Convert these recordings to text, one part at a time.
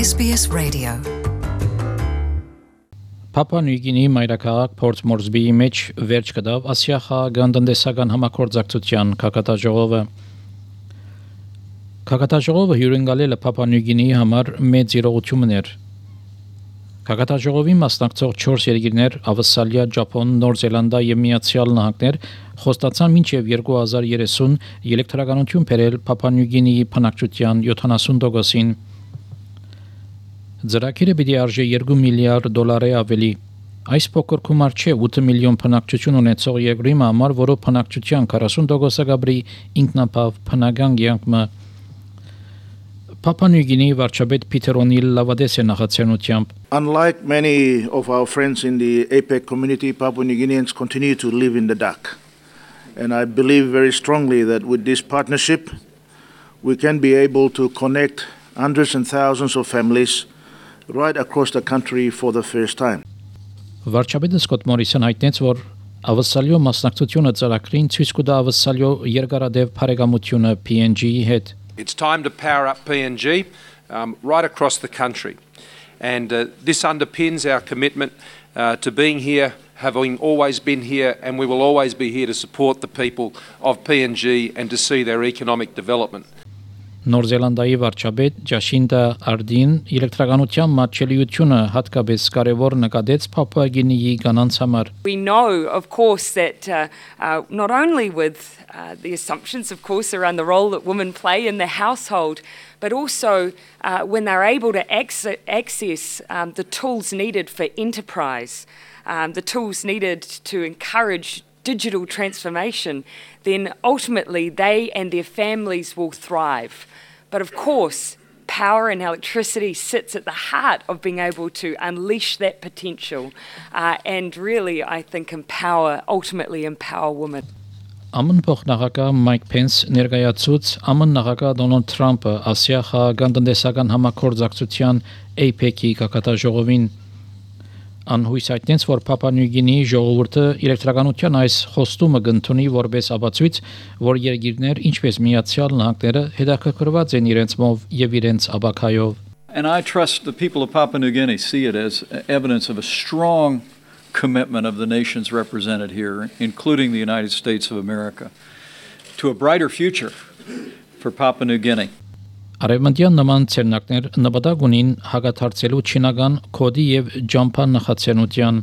SBS Radio. Papua New Guinea մայրաքաղաք Port Moresby-ի մեջ վերջ կդավ Ասիա-խաղաղ տնտեսական համագործակցության քաղաքատաժողովը։ Քաղաքատաժողովը հյուրընկալել է Papua New Guinea-ի համար մեծ իրողություններ։ Քաղաքատաժողովի մասնակցող 4 երկիրներ՝ Ավստրալիա, Ճապոն, Նոր Զելանդա եւ Միացյալ Նահանգներ խոստացան մինչև 2030 էլեկտրականություն բերել Papua New Guinea-ի բնակչության 70%-ին։ Ծրագիրը պիտի արժե $2 միլիարդ ավելի։ Այս փոքր գումար չէ 8 միլիոն բնակչություն ունեցող երկրի համար, որը բնակչության 40% գաբրի ինքնապավ բնական կյանքը։ Papua New Guinea վարչապետ Փիթեր Օնիլ լավադես է նախաձեռնությամբ։ Unlike many of our friends in the APEC community, Papua New Guineans continue to live in the dark. And I believe very strongly that with this partnership, we can be able to connect hundreds and thousands of families right across the country for the first time. Վարչապետը Սկոտ Մորիսոն հայտնեց, որ Ավստրալիո մասնակցությունը ծրագրին ցույց կտա Ավստրալիո երկարադեպ բարեկամությունը PNG-ի հետ։ It's time to power up PNG right across the country. And this underpins our commitment to being here, having always been here, and we will always be here to support the people of PNG and to see their economic development. Նոր Զելանդիայի վարչապետ Ջասինտա Արդին էլեկտրականության մատչելիությունը հատկապես կարևոր նկատեց Papua Guinea-ի կանանց համար։ We know, of course, that not only with the assumptions, of course, around the role that women play in the household, but also when they're able to access the tools needed for enterprise, the tools needed to encourage digital transformation, then ultimately they and their families will thrive. But of course, power and electricity sits at the heart of being able to unleash that potential and really, I think, ultimately empower women. ԱՄՆ փոխնախագահ Մայք Փենս ներկայացուց ԱՄՆ նախագահ Դոնալդ Թրամփը Ասիա-խաղաղ տնտեսական համագործակցության APEC-ի քաղաքատաժողովին անհույս հայտնեց, որ Papua New Guinea-ի ժողովուրդը էլեկտրականության այս խոստումը կընդունի որպես ապացույց, որ երկիրներ ինչպես Միացյալ Նահանգները հետաքրքրված են իրենց մով եւ իրենց աբակայով։ And I trust the people of Papua New Guinea see it as evidence of a strong commitment of the nations represented here, including the United States of America, to a brighter future for Papua New Guinea. Արևմտյան նման ցերնակներ նպատակ ունին հագաթարցելու չինական կոդի եւ ջամփան նախաձեռնության։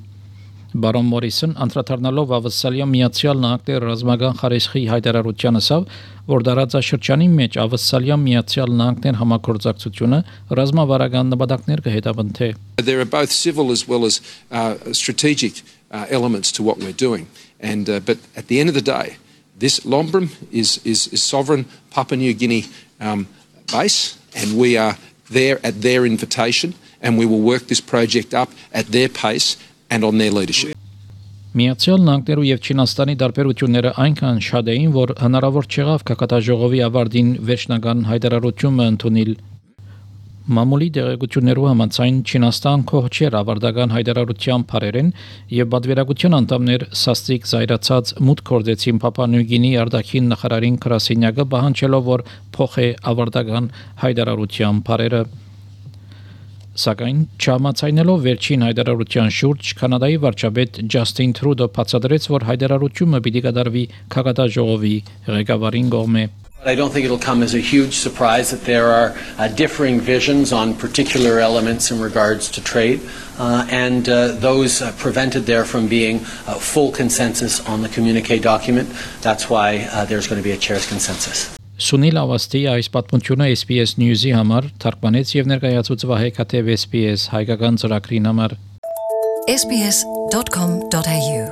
Բարոն Մորիսոն անդրադառնալով Ավստրալիա Միացյալ Նահանգների ռազմական խարիսխի հայտարարության ասավ, որ դարաձաշրջանի մեջ Ավստրալիա Միացյալ Նահանգներ համագործակցությունը ռազմավարական նպատակներ կհետապնդի։ There are both civil as well as strategic elements to what we're doing, and but at the end of the day, this Lombrum is sovereign Papua New Guinea base, and we are there at their invitation, and we will work this project up at their pace and on their leadership. Միացյալ Նահանգներու եւ Չինաստանի դարբերությունները այնքան շատ էին, որ հնարավոր չեղավ քաղաքատաժողովի ավարտին վերջնական հայտարարությունը ընդունել։ Մամուլի դեղեցություններու համաձայն Չինաստան կողմ չէր ավարտական հայտարարության բարերեն եւ բادرվերագության անդամներ սաստիկ զայրացած մուտք գործեցին Papua New Guinea արտաքին նախարարին Կրասինյակը պահանջելով որ փոխե ավարտական հայտարարության բարերը սակայն չհամաձայնելով վերջին հայտարարության շուրջ Կանադայի վարչապետ Ջաստին Թրուդո բացատրեց որ հայտարարությունը պիտի կատարվի քաղաքատաժողովի ղեկավարին կողմէ I don't think it'll come as a huge surprise that there are differing visions on particular elements in regards to trade, and those prevented there from being full consensus on the communique document. That's why there's going to be a chair's consensus. Սունիլ Ավաստի այս պատմությունը SBS News-ի համար թարգմանեց եւ ներկայացուց Վահե Քաթեվ SBS հայկական ծրագրին համար sbs.com.au